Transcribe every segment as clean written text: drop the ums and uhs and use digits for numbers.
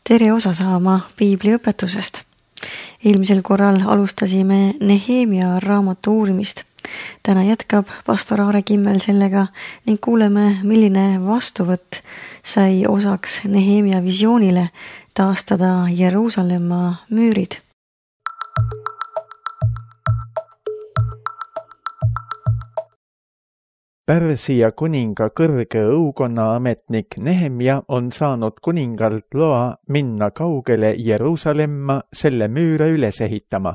Tere osa saama piibliõpetusest. Eelmisel korral alustasime Nehemia raamatu uurimist. Täna jätkab pastor Aare Kimmel sellega ning kuuleme, milline vastuvõtt sai osaks Nehemia visioonile taastada Jeruusalemma müürid. Pärsia kuninga kõrge õukonna ametnik Nehemia on saanud kuningalt loa minna kaugele Jeruusalemma selle müüre üles ehitama.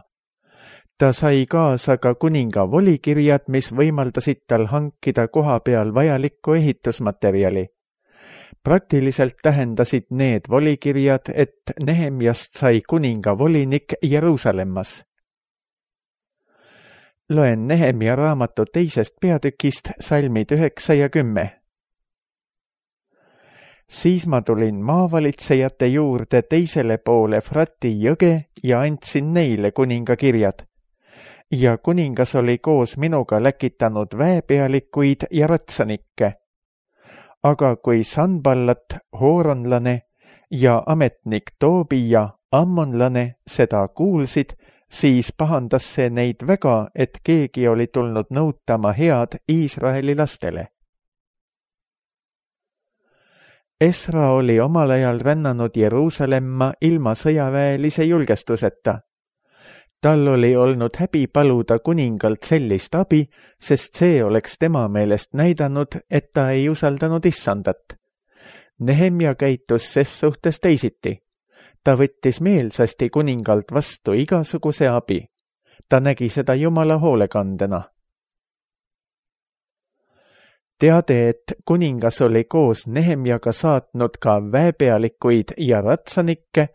Ta sai kaasa ka kuninga volikirjad, mis võimaldasid tal hankida koha peal vajalikku ehitusmaterjali. Praktiliselt tähendasid need volikirjad, et Nehemiast sai kuninga volinik Jeruusalemmas. Loen Nehemia raamatu 2. peatükist salmid 9 ja 10. Siis ma tulin maavalitsejate juurde teisele poole Frati jõge ja andsin neile kuninga kirjad. Ja kuningas oli koos minuga läkitanud väepealikuid ja ratsanikke. Aga kui Sanballat, hooronlane ja ametnik Toobija, ammonlane, seda kuulsid, siis pahandas see neid väga, et keegi oli tulnud nõutama head Iisraeli lastele. Esra oli omal ajal rännanud Jeruusalemma ilma sõjaväelise julgestuseta. Tal oli olnud häbi paluda kuningalt sellist abi, sest see oleks tema meelest näidanud, et ta ei usaldanud Issandat. Nehemia käitus ses suhtes teisiti. Ta võttis meelsasti kuningalt vastu igasuguse abi. Ta nägi seda Jumala hoolekandena. Teade, et kuningas oli koos Nehemiaga saatnud ka väepealikuid ja ratsanikke,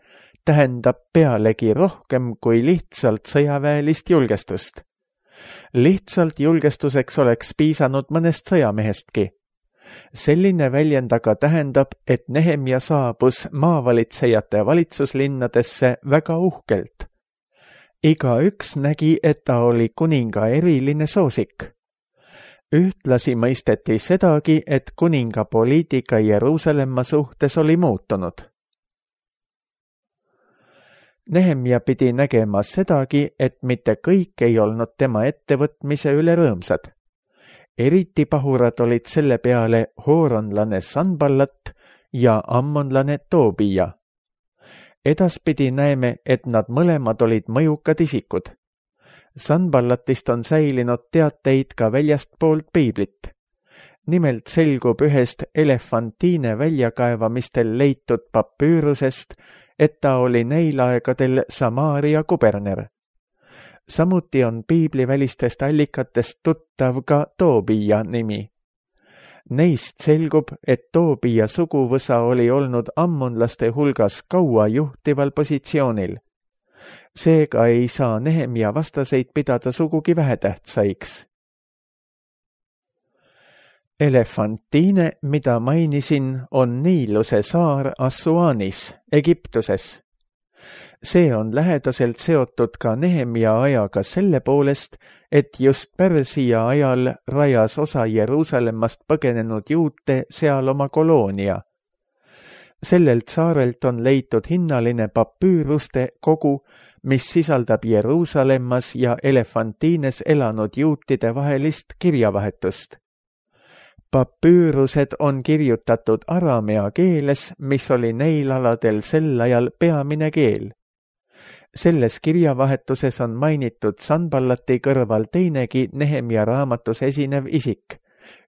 tähendab pealegi rohkem kui lihtsalt sõjaväelist julgestust. Lihtsalt julgestuseks oleks piisanud mõnest sõjamehestki. Selline väljend aga tähendab, et Nehemia saabus maavalitsejate valitsuslinnadesse väga uhkelt. Igaüks nägi, et ta oli kuninga eriline soosik. Ühtlasi mõisteti sedagi, et kuninga poliitika Jeruusalemma suhtes oli muutunud. Nehemia pidi nägema sedagi, et mitte kõik ei olnud tema ettevõtmise üle rõõmsad. Eriti pahurad olid selle peale hooronlane Sanballat ja ammonlane Toobija. Edaspidi näeme, et nad mõlemad olid mõjukad isikud. Sanballatist on säilinud teateid ka väljastpoolt piiblit. Nimelt selgub ühest Elefantiine väljakaevamistel leitud papüürusest, et ta oli neil aegadel Samaaria kuberner. Samuti on piiblivälistest allikatest tuttav ka Toobija nimi. Neist selgub, et Toobija suguvõsa oli olnud ammonlaste hulgas kaua juhtival positsioonil. Seega ei saa Nehemia vastaseid pidada sugugi vähetähtsaiks. Elefantiine, mida mainisin, on Niiluse saar Assuanis, Egiptuses. See on lähedaselt seotud ka Nehemia ajaga selle poolest, et just Pärsia ajal rajas osa Jeruusalemmast põgenenud juute seal oma koloonia. Sellelt saarelt on leitud hinnaline papüüruste kogu, mis sisaldab Jeruusalemmas ja Elefantiines elanud juutide vahelist kirjavahetust. Papüürused on kirjutatud aramea keeles, mis oli neil aladel sel ajal peamine keel. Selles kirjavahetuses on mainitud Sanballati kõrval teinegi Nehemia raamatus esinev isik,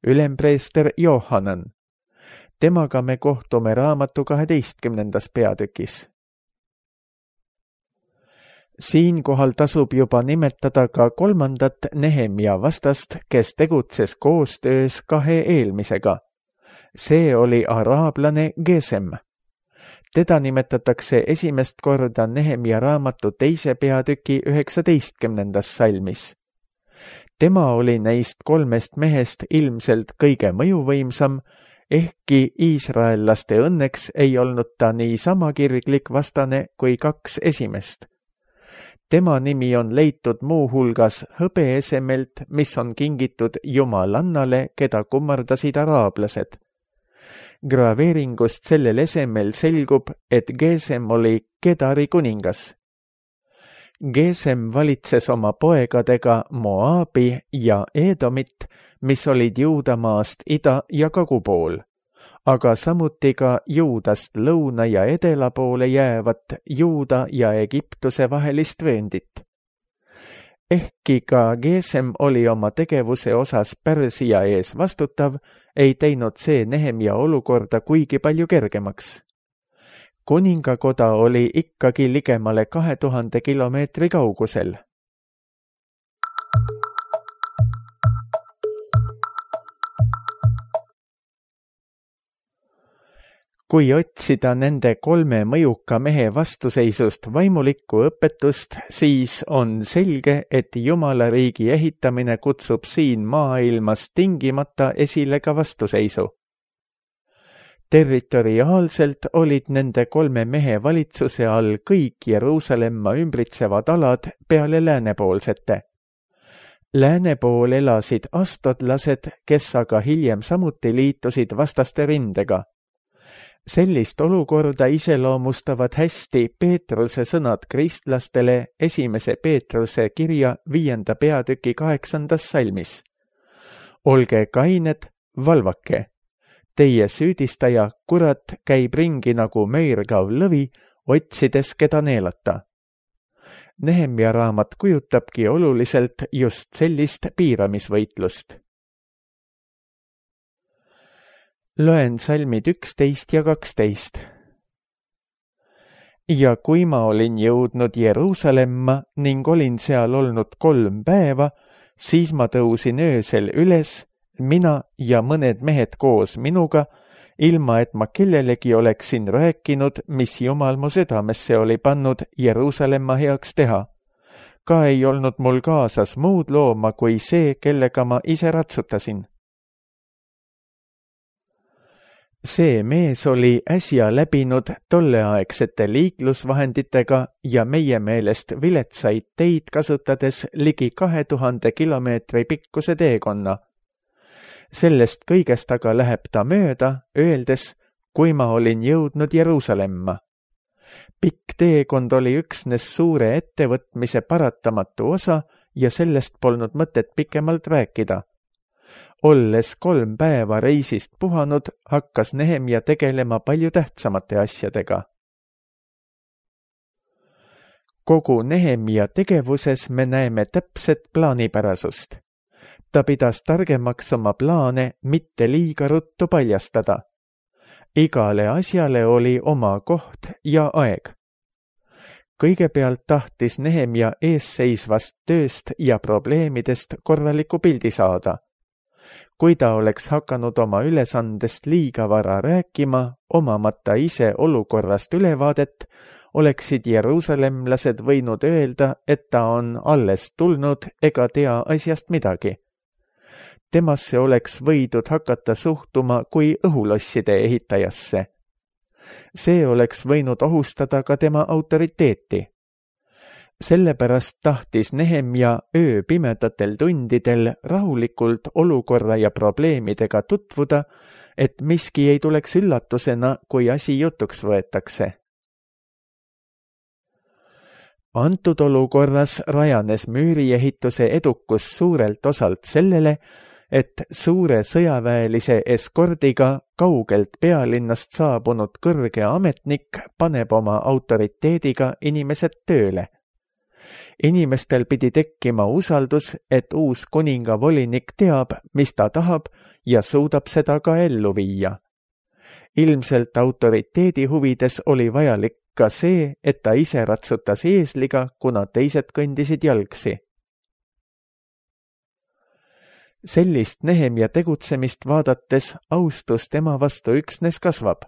ülempreester Johanan. Temaga me kohtume raamatu 12. peatükis. Siinkohal tasub juba nimetada ka 3. Nehemia vastast, kes tegutses koostöös 2 eelmisega. See oli araablane Gesem. Teda nimetatakse esimest korda Nehemia raamatu 2. peatüki 19. salmis. Tema oli neist 3 mehest ilmselt kõige mõjuvõimsam, ehkki iisraellaste õnneks ei olnud ta niisama kirglik vastane kui 2 esimest. Tema nimi on leitud muuhulgas hõbeesemelt, mis on kingitud jumalannale, keda kummardasid araablased. Graveeringust sellel esemel selgub, et Gesem oli Kedari kuningas. Gesem valitses oma poegadega Moabi ja Edomit, mis olid Juudamaast ida- ja kagupool, aga samuti ka Juudast lõuna- ja edela poole jäävat Juuda ja Egiptuse vahelist vööndit. Ehkki ka Gesem oli oma tegevuse osas Pärsia ees vastutav, ei teinud see Nehemia olukorda kuigi palju kergemaks. Kuningakoda oli ikkagi ligemale 2000 kilomeetri kaugusel. Kui otsida nende 3 mõjuka mehe vastuseisust vaimulikku õpetust, siis on selge, et Jumala riigi ehitamine kutsub siin maailmas tingimata esile ka vastuseisu. Territoriaalselt olid nende 3 mehe valitsuse all kõik Jeruusalemma ümbritsevad alad peale läänepoolsete. Lääne pool elasid astodlased, kes aga hiljem samuti liitusid vastaste rindega. Sellist olukorda iseloomustavad hästi Peetruse sõnad kristlastele 1. Peetruse kirja 5. peatüki 8. salmis. Olge kained, valvake. Teie süüdistaja, kurat, käib ringi nagu möirgav lõvi, otsides keda neelata. Nehemia raamat kujutabki oluliselt just sellist piiramisvõitlust. Loen salmid 11 ja 12. Ja kui ma olin jõudnud Jeruusalemma ning olin seal olnud 3 päeva, siis ma tõusin öösel üles, mina ja mõned mehed koos minuga, ilma et ma kellelegi oleksin rääkinud, mis Jumal mu südamesse oli pannud Jeruusalemma heaks teha. Ka ei olnud mul kaasas muud looma kui see, kellega ma ise ratsutasin. See mees oli äsja läbinud tolleaegsete liiklusvahenditega ja meie meelest viletsaid teid kasutades ligi 2000 kilomeetri pikkuse teekonna. Sellest kõigest aga läheb ta mööda, öeldes, kui ma olin jõudnud Jeruusalemma. Pikk teekond oli üksnes suure ettevõtmise paratamatu osa ja sellest polnud mõtet pikemalt rääkida. Olles 3 päeva reisist puhanud, hakkas Nehemia tegelema palju tähtsamate asjadega. Kogu Nehemia tegevuses me näeme täpset plaanipärasust. Ta pidas targemaks oma plaane mitte liiga ruttu paljastada. Igale asjale oli oma koht ja aeg. Kõigepealt tahtis Nehemia eesseisvast tööst ja probleemidest korraliku pildi saada. Kui ta oleks hakanud oma ülesandest liiga vara rääkima, omamata ise olukorrast ülevaadet, oleksid jeruusalemlased võinud öelda, et ta on alles tulnud ega tea asjast midagi. Temasse oleks võidud hakata suhtuma kui õhulosside ehitajasse. See oleks võinud ohustada ka tema autoriteeti. Sellepärast tahtis Nehemia ööpimedatel tundidel rahulikult olukorra ja probleemidega tutvuda, et miski ei tuleks üllatusena, kui asi jutuks võetakse. Antud olukorras rajanes müüriehituse edukus suurelt osalt sellele, et suure sõjaväelise eskordiga kaugelt pealinnast saabunud kõrge ametnik paneb oma autoriteediga inimesed tööle. Inimestel pidi tekkima usaldus, et uus kuninga volinik teab, mis ta tahab ja suudab seda ka ellu viia. Ilmselt autoriteedi huvides oli vajalik ka see, et ta ise ratsutas eesliga, kuna teised kõndisid jalgsi. Sellist Nehemia tegutsemist vaadates austus tema vastu üksnes kasvab.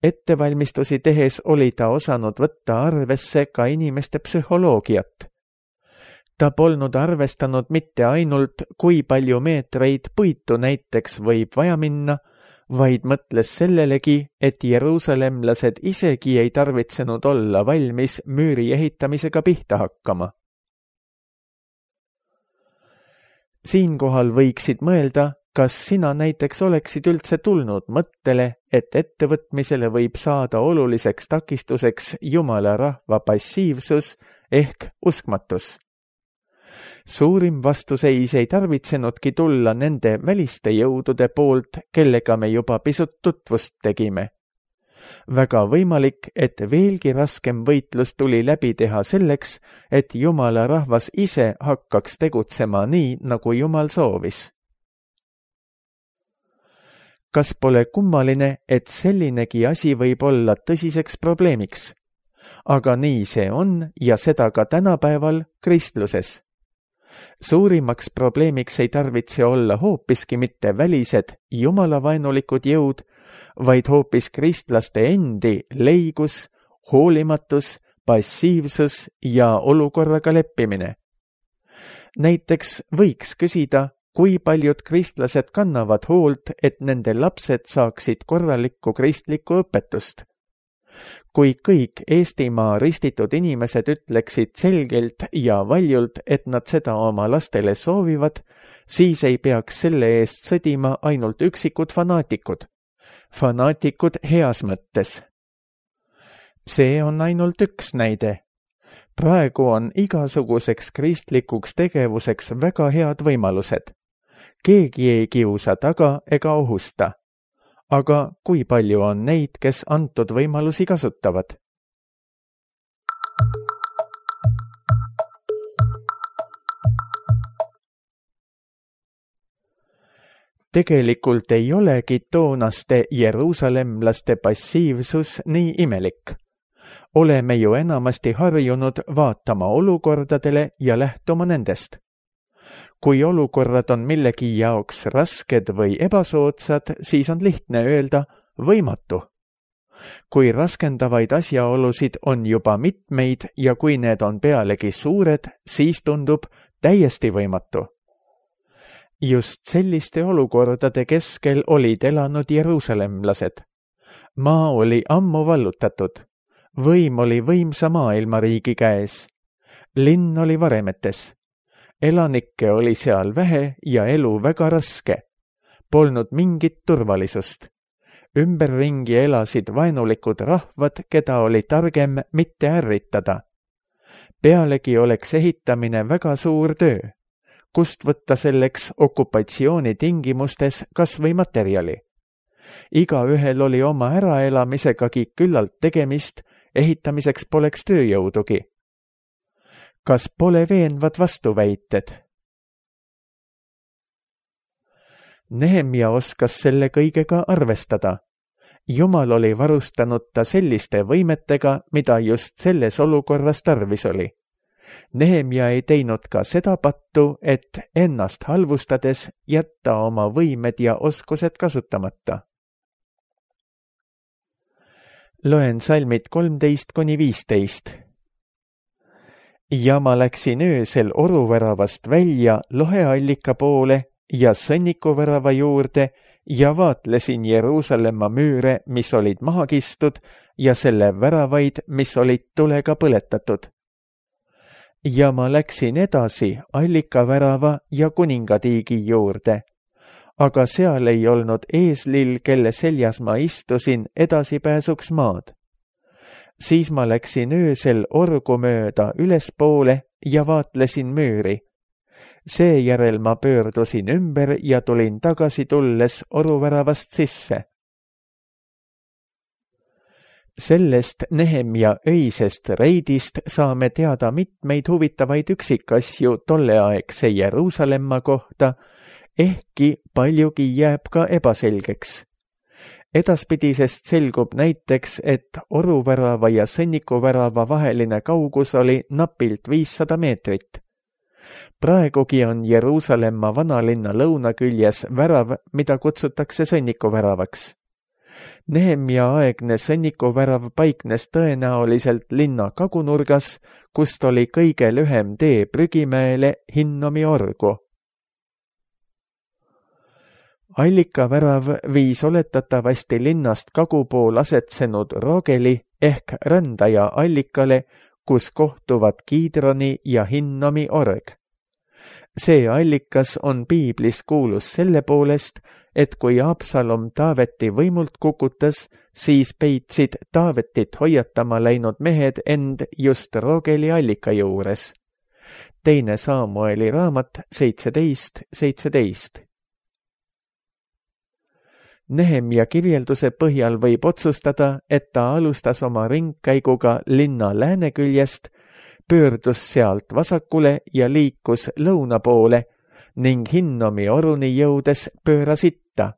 Ettevalmistusi tehes oli ta osanud võtta arvesse ka inimeste psühholoogiat. Ta polnud arvestanud mitte ainult, kui palju meetreid puitu näiteks võib vaja minna, vaid mõtles sellelegi, et jeruusalemlased isegi ei tarvitsenud olla valmis müüri ehitamisega pihta hakkama. Siinkohal võiksid mõelda, Kas sina näiteks oleksid üldse tulnud mõttele, et ettevõtmisele võib saada oluliseks takistuseks Jumala rahva passiivsus ehk uskmatus? Suurim vastuseis ei tarvitsenudki tulla nende väliste jõudude poolt, kellega me juba pisut tutvust tegime. Väga võimalik, et veelgi raskem võitlus tuli läbi teha selleks, et Jumala rahvas ise hakkaks tegutsema nii, nagu Jumal soovis. Kas pole kummaline, et sellinegi asi võib olla tõsiseks probleemiks? Aga nii see on ja seda ka tänapäeval kristluses. Suurimaks probleemiks ei tarvitse olla hoopiski mitte välised jumalavaenulikud jõud, vaid hoopis kristlaste endi leigus, hoolimatus, passiivsus ja olukorraga leppimine. Näiteks võiks küsida, kui paljud kristlased kannavad hoolt, et nende lapsed saaksid korralikku kristlikku õpetust. Kui kõik Eestimaa ristitud inimesed ütleksid selgelt ja valjult, et nad seda oma lastele soovivad, siis ei peaks selle eest sõdima ainult üksikud fanaatikud. Fanaatikud heas mõttes. See on ainult üks näide. Praegu on igasuguseks kristlikuks tegevuseks väga head võimalused. Keegi ei kiusa taga ega ohusta. Aga kui palju on neid, kes antud võimalusi kasutavad? Tegelikult ei olegi toonaste jeruusalemlaste passiivsus nii imelik. Oleme ju enamasti harjunud vaatama olukordadele ja lähtuma nendest. Kui olukorrad on millegi jaoks rasked või ebasoodsad, siis on lihtne öelda võimatu. Kui raskendavaid asjaolusid on juba mitmeid ja kui need on pealegi suured, siis tundub täiesti võimatu. Just selliste olukordade keskel olid elanud jeruusalemlased. Maa oli ammu vallutatud. Võim oli võimsa maailmariigi käes. Linn oli varemetes. Elanikke oli seal vähe ja elu väga raske. Polnud mingit turvalisust. Ümberringi elasid vaenulikud rahvad, keda oli targem mitte ärritada. Pealegi oleks ehitamine väga suur töö. Kust võtta selleks okupatsiooni tingimustes kas või materjali? Igaühel oli oma äraelamisegagi küllalt tegemist, ehitamiseks poleks tööjõudugi. Kas pole veenvad vastuväited? Nehemia oskas selle kõigega arvestada. Jumal oli varustanud ta selliste võimetega, mida just selles olukorras tarvis oli. Nehemia ei teinud ka seda pattu, et ennast halvustades jätta oma võimed ja oskused kasutamata. Loen salmid 13–15. Ja ma läksin öösel oruväravast välja loheallika poole ja sõnnikuvärava juurde ja vaatlesin Jeruusalemma müüre, mis olid maha kistud, ja selle väravaid, mis olid tulega põletatud. Ja ma läksin edasi allikavärava ja kuningatiigi juurde, aga seal ei olnud eeslil, kelle seljas ma istusin, edasipääsuks maad. Siis ma läksin öösel orgu mööda ülespoole ja vaatlesin müüri. Seejärel ma pöördusin ümber ja tulin tagasi tulles oruväravast sisse. Sellest Nehemia öisest reidist saame teada mitmeid huvitavaid üksikasju tolleaegse Jeruusalemma kohta, ehkki paljugi jääb ka ebaselgeks. Edaspidisest selgub näiteks, et oruvärava ja sõnnikuvärava vaheline kaugus oli napilt 500 meetrit. Praegugi on Jeruusalemma vanalinna lõunaküljes värav, mida kutsutakse sõnnikuväravaks. Nehemia aegne sõnnikuvärav paiknes tõenäoliselt linna kagunurgas, kust oli kõige lühem tee Prügimäele Hinnomi orgu. Allikavärav viis oletatavasti linnast kagupool asetsenud Rogeli ehk rändaja allikale, kus kohtuvad Kiidroni ja Hinnomi org. See allikas on piiblis kuulus selle poolest, et kui Absalom Taaveti võimult kukutas, siis peitsid Taavetit hoiatama läinud mehed end just Rogeli allika juures. 2 Samueli raamat 17:17. Nehemia kirjelduse põhjal võib otsustada, et ta alustas oma ringkäiguga linna lääneküljest, pöördus sealt vasakule ja liikus lõuna poole ning Hinnomi oruni jõudes pööras itta.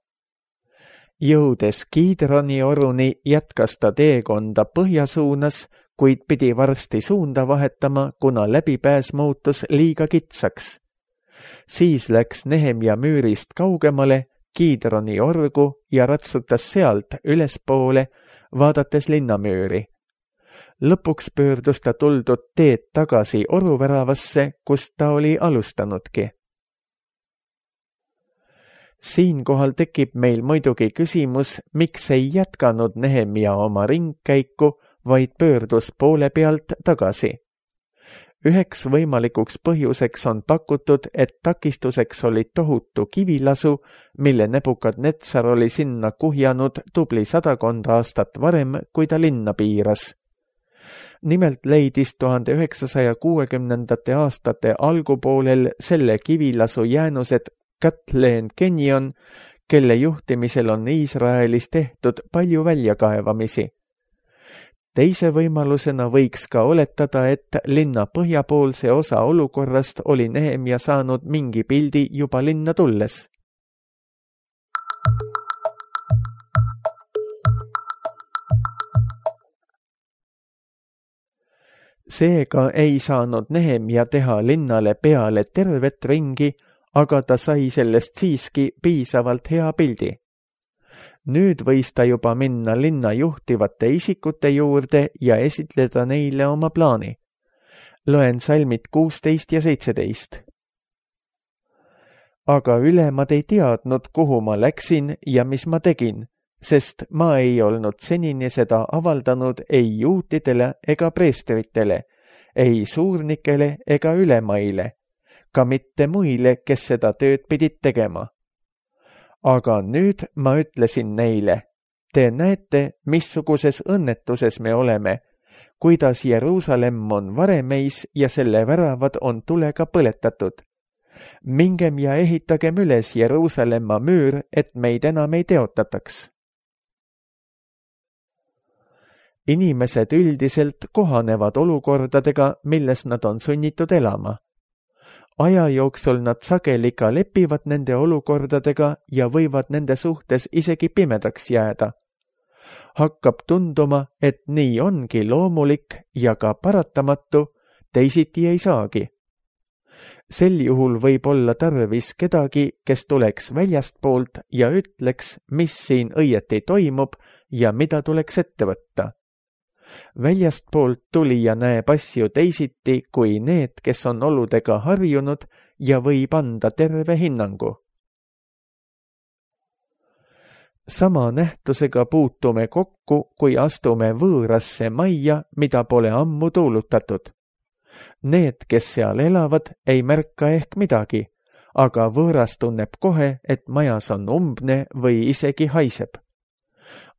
Jõudes Kiidroni oruni jätkas ta teekonda põhja suunas, kuid pidi varsti suunda vahetama, kuna läbipääs muutus liiga kitsaks. Siis läks Nehemia müürist kaugemale Kiidroni orgu ja ratsutas sealt ülespoole, vaadates linnamüüri. Lõpuks pöördus ta tuldud teed tagasi oruväravasse, kust ta oli alustanudki. Siinkohal tekib meil muidugi küsimus, miks ei jätkanud Nehemia oma ringkäiku, vaid pöördus poole pealt tagasi. Üheks võimalikuks põhjuseks on pakutud, et takistuseks oli tohutu kivilasu, mille Nebukadnetsar oli sinna kuhjanud tubli 100 aastat varem, kui ta linna piiras. Nimelt leidis 1960. aastate algupoolel selle kivilasu jäänused Kathleen Kenyon, kelle juhtimisel on Iisraelis tehtud palju väljakaevamisi. Teise võimalusena võiks ka oletada, et linna põhjapoolse osa olukorrast oli Nehemia saanud mingi pildi juba linna tulles. Seega ei saanud Nehemia teha linnale peale tervet ringi, aga ta sai sellest siiski piisavalt hea pildi. Nüüd võis ta juba minna linna juhtivate isikute juurde ja esitleda neile oma plaani. Loen salmid 16 ja 17. Aga ülemad ei teadnud, kuhu ma läksin ja mis ma tegin, sest ma ei olnud senini seda avaldanud ei juutidele ega preestritele, ei suurnikele ega ülemaile, ka mitte muile, kes seda tööd pidid tegema. Aga nüüd ma ütlesin neile, te näete, missuguses õnnetuses me oleme, kuidas Jeruusalemm on varemeis ja selle väravad on tulega põletatud. Mingem ja ehitagem üles Jeruusalemma müür, et meid enam ei teotataks. Inimesed üldiselt kohanevad olukordadega, milles nad on sunnitud elama. Aja jooksul nad sageli ka lepivad nende olukordadega ja võivad nende suhtes isegi pimedaks jääda. Hakkab tunduma, et nii ongi loomulik ja ka paratamatu, teisiti ei saagi. Sel juhul võib olla tarvis kedagi, kes tuleks väljastpoolt ja ütleks, mis siin õieti toimub ja mida tuleks ette võtta. Väljastpoolt tulija näeb asju teisiti kui need, kes on oludega harjunud ja võib anda terve hinnangu. Sama nähtusega puutume kokku, kui astume võõrasse majja, mida pole ammu tuulutatud. Need, kes seal elavad, ei märka ehk midagi, aga võõras tunneb kohe, et majas on umbne või isegi haiseb.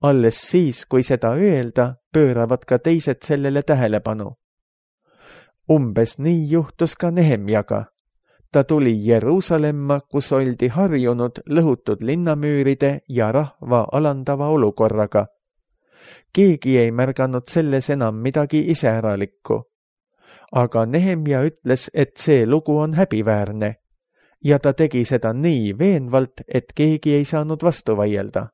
Alles siis, kui seda öelda, pööravad ka teised sellele tähelepanu. Umbes nii juhtus ka Nehemjaga. Ta tuli Jeruusalemma, kus oldi harjunud lõhutud linnamüüride ja rahva alandava olukorraga. Keegi ei märganud selles enam midagi iseäralikku. Aga Nehemja ütles, et see lugu on häbiväärne ja ta tegi seda nii veenvalt, et keegi ei saanud vastu vaielda.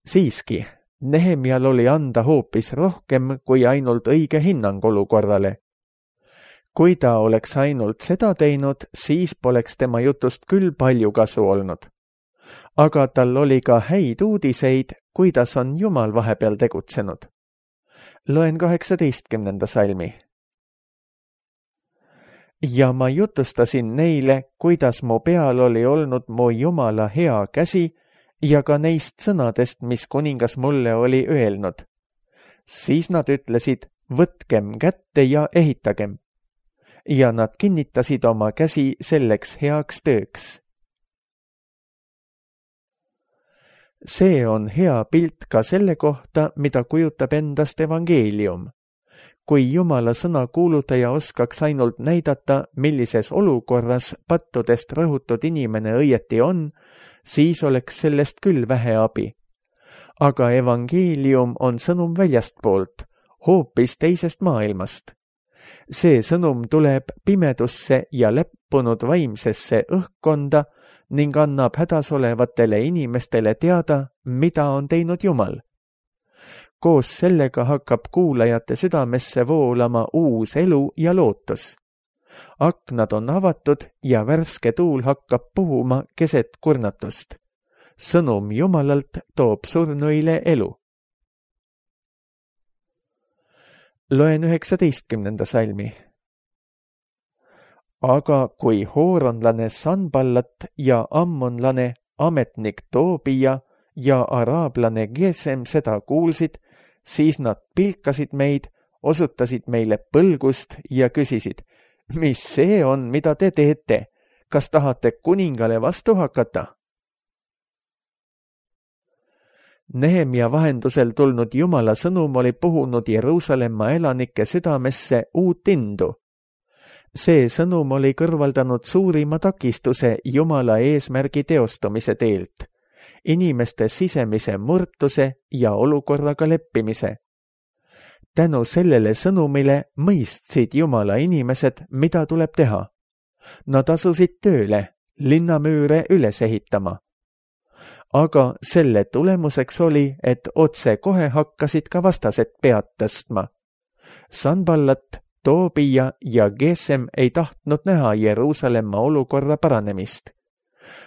Siiski, Nehemjal oli anda hoopis rohkem kui ainult õige hinnang olukorrale. Kui ta oleks ainult seda teinud, siis poleks tema jutust küll palju kasu olnud. Aga tal oli ka häid uudiseid, kuidas on Jumal vahepeal tegutsenud. Loen 18. salmi. Ja ma jutustasin neile, kuidas mu peal oli olnud mu Jumala hea käsi ja ka neist sõnadest, mis kuningas mulle oli öelnud. Siis nad ütlesid, võtkem kätte ja ehitagem. ja nad kinnitasid oma käsi selleks heaks tööks. See on hea pilt ka selle kohta, mida kujutab endast evangeelium. Kui Jumala sõna kuulutaja oskaks ainult näidata, millises olukorras pattudest rõhutud inimene õieti on, siis oleks sellest küll vähe abi. Aga evangeelium on sõnum väljastpoolt, hoopis teisest maailmast. See sõnum tuleb pimedusse ja leppunud vaimsesse õhkkonda ning annab hädas olevatele inimestele teada, mida on teinud Jumal. Koos sellega hakkab kuulajate südamesse voolama uus elu ja lootus. Aknad on avatud ja värske tuul hakkab puhuma keset kurnatust. Sõnum Jumalalt toob surnuile elu. Loen 19. salmi. Aga kui hooronlane Sanballat ja ammonlane ametnik Toobia ja araablane Gesem seda kuulsid, siis nad pilkasid meid, osutasid meile põlgust ja küsisid, mis see on, mida te teete? Kas tahate kuningale vastu hakata? Nehemia vahendusel tulnud Jumala sõnum oli puhunud Jeruusalemma elanike südamesse uut indu. See sõnum oli kõrvaldanud suurima takistuse Jumala eesmärgi teostumise teelt, inimeste sisemise murtuse ja olukorraga leppimise. Tänu sellele sõnumile mõistsid Jumala inimesed, mida tuleb teha. Nad asusid tööle, linnamüüre üles ehitama. Aga selle tulemuseks oli, et otse kohe hakkasid ka vastased pead tõstma. Sanballat, Toobia ja Gesem ei tahtnud näha Jeruusalemma olukorra paranemist.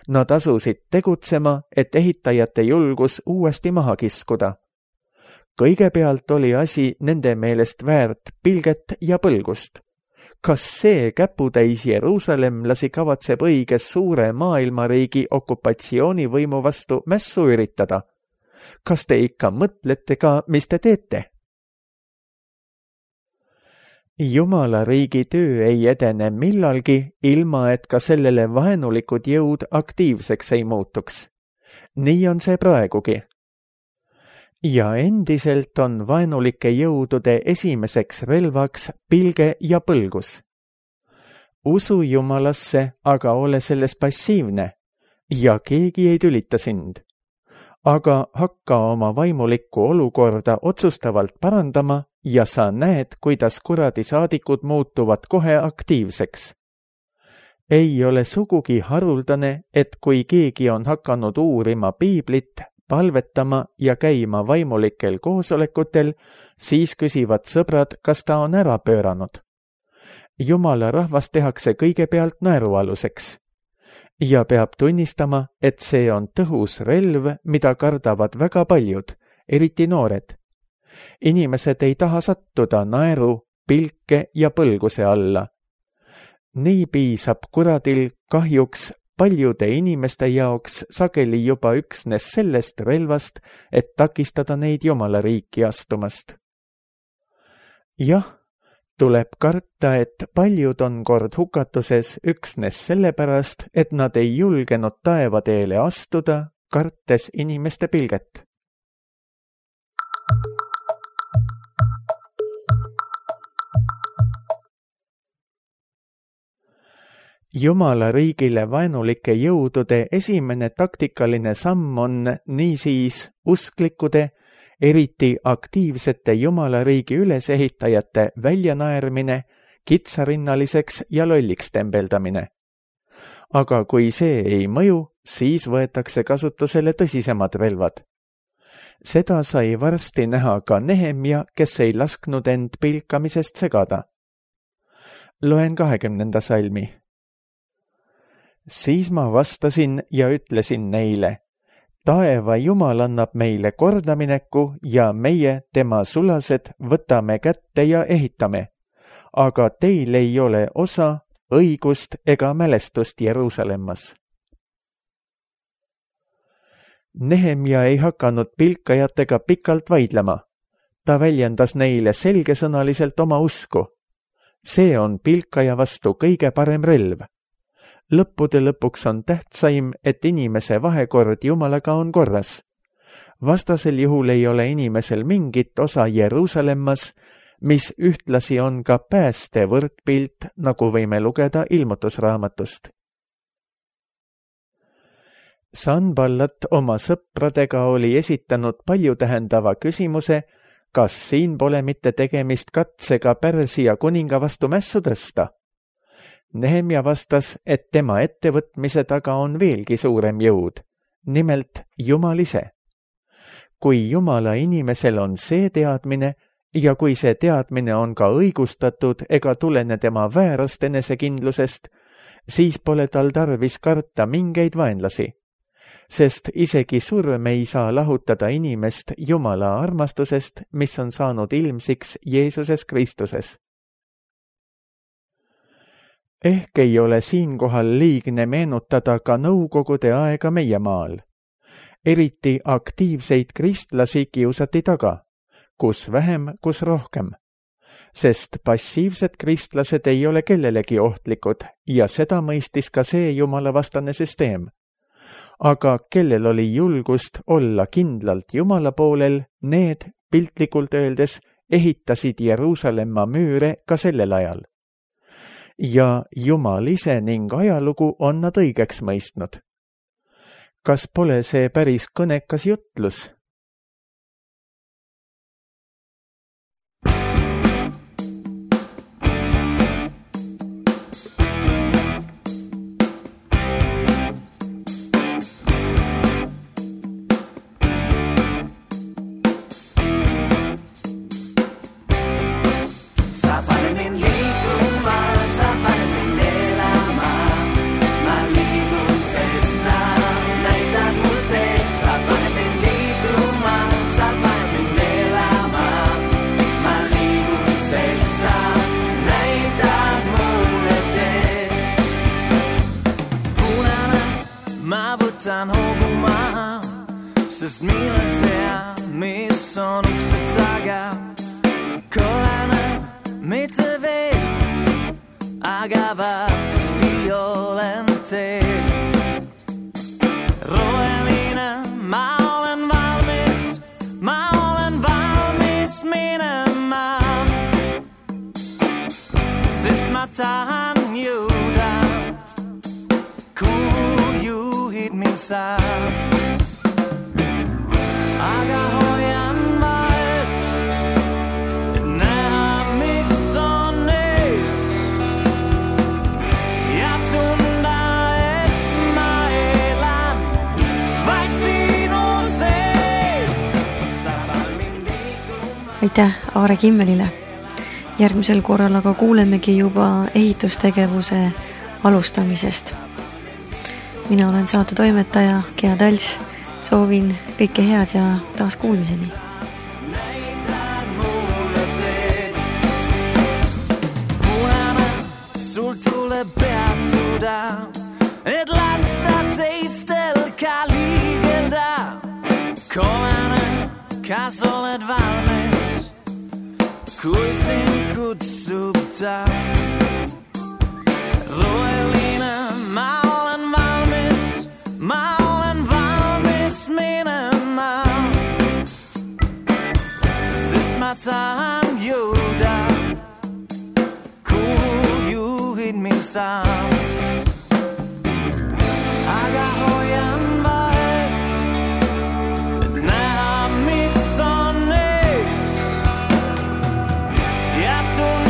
Nad asusid tegutsema, et ehitajate julgus uuesti maha kiskuda. Kõigepealt oli asi nende meelest väärt pilget ja põlgust. Kas see käputäis jeruusalemlasi kavatseb õiges suure maailmariigi okupatsioonivõimu vastu mässu üritada? Kas te ikka mõtlete ka, mis te teete? Jumala riigi töö ei edene millalgi, ilma et ka sellele vaenulikud jõud aktiivseks ei muutuks. Nii on see praegugi. Ja endiselt on vaenulike jõudude esimeseks relvaks pilge ja põlgus. Usu Jumalasse, aga ole selles passiivne ja keegi ei tülita sind. Aga hakka oma vaimulikku olukorda otsustavalt parandama ja sa näed, kuidas kuradisaadikud muutuvad kohe aktiivseks. Ei ole sugugi haruldane, et kui keegi on hakanud uurima piiblit, palvetama ja käima vaimulikel koosolekutel, siis küsivad sõbrad, kas ta on ära pööranud. Jumala rahvas tehakse kõigepealt naerualuseks. Ja peab tunnistama, et see on tõhus relv, mida kardavad väga paljud, eriti noored. Inimesed ei taha sattuda naeru, pilke ja põlguse alla. Nii piisab kuradil kahjuks paljude inimeste jaoks sageli juba üksnes sellest relvast, et takistada neid Jumala riiki astumast. Jah, tuleb karta, et paljud on kord hukatuses üksnes sellepärast, et nad ei julgenud taevateele astuda, kartes inimeste pilget. Jumala riigile vaenulike jõudude esimene taktikaline samm on niisiis usklikude, eriti aktiivsete Jumala riigi ülesehitajate väljanaermine, kitsarinnaliseks ja lolliks tembeldamine. Aga kui see ei mõju, siis võetakse kasutusele tõsisemad relvad. Seda sai varsti näha ka Nehemia, kes ei lasknud end pilkamisest segada. Loen 20. salmi. Siis ma vastasin ja ütlesin neile, taeva Jumal annab meile kordamineku ja meie, tema sulased, võtame kätte ja ehitame. Aga teil ei ole osa, õigust ega mälestust Jeruusalemmas. Nehemia ei hakanud pilkajatega pikalt vaidlema. Ta väljendas neile selgesõnaliselt oma usku. See on pilkaja vastu kõige parem relv. Lõppude lõpuks on tähtsaim, et inimese vahekord Jumalaga on korras. Vastasel juhul ei ole inimesel mingit osa Jeruusalemmas, mis ühtlasi on ka pääste võrdpilt, nagu võime lugeda Ilmutusraamatust. Sanballat oma sõpradega oli esitanud paljutähendava küsimuse, kas siin pole mitte tegemist katsega Pärsia kuninga vastu mässu tõsta. Nehemia vastas, et tema ettevõtmise taga on veelgi suurem jõud, nimelt Jumal ise. Kui Jumala inimesel on see teadmine ja kui see teadmine on ka õigustatud ega tulene tema väärast enesekindlusest, siis pole tal tarvis karta mingeid vaenlasi, sest isegi surm ei saa lahutada inimest Jumala armastusest, mis on saanud ilmsiks Jeesuses Kristuses. Ehk ei ole siinkohal liigne meenutada ka nõukogude aega meie maal. Eriti aktiivseid kristlasi kiusati taga, kus vähem, kus rohkem. Sest passiivsed kristlased ei ole kellelegi ohtlikud ja seda mõistis ka see jumalavastane süsteem. Aga kellel oli julgust olla kindlalt Jumala poolel, need, piltlikult öeldes, ehitasid Jeruusalemma müüre ka sellel ajal. Ja Jumal ise ning ajalugu on nad õigeks mõistnud. Kas pole see päris kõnekas jutlus? Sest mina tean, mis on ukse taga. Korana mitte veel, aga varsti olen teel. Roheline, ma olen valmis minema. Sest ma tahan jõuda, kuhu juhid mind saab. Aga hoian vahet, et näha, mis on ees. Ja tunda, et ma elan vaid sinu sees. Aitäh Aare Kimmelile. Järgmisel korral aga kuulemegi juba ehitustegevuse alustamisest. Mina olen saate toimetaja Gea Tals. Soovin kõike head ja taas kuulmiseni. Näitad mulle teed. Punane, sul tuleb peatuda, et lasta teistel ka liigelda. Kollane, kas oled valmis, kui sind kutsub ta? Roheline, ma olen valmis, minema. Sest ma tahan jõuda, kuhu juhid mind saab. Aga hoian vahet, et näha, mis on ees. Ja tunda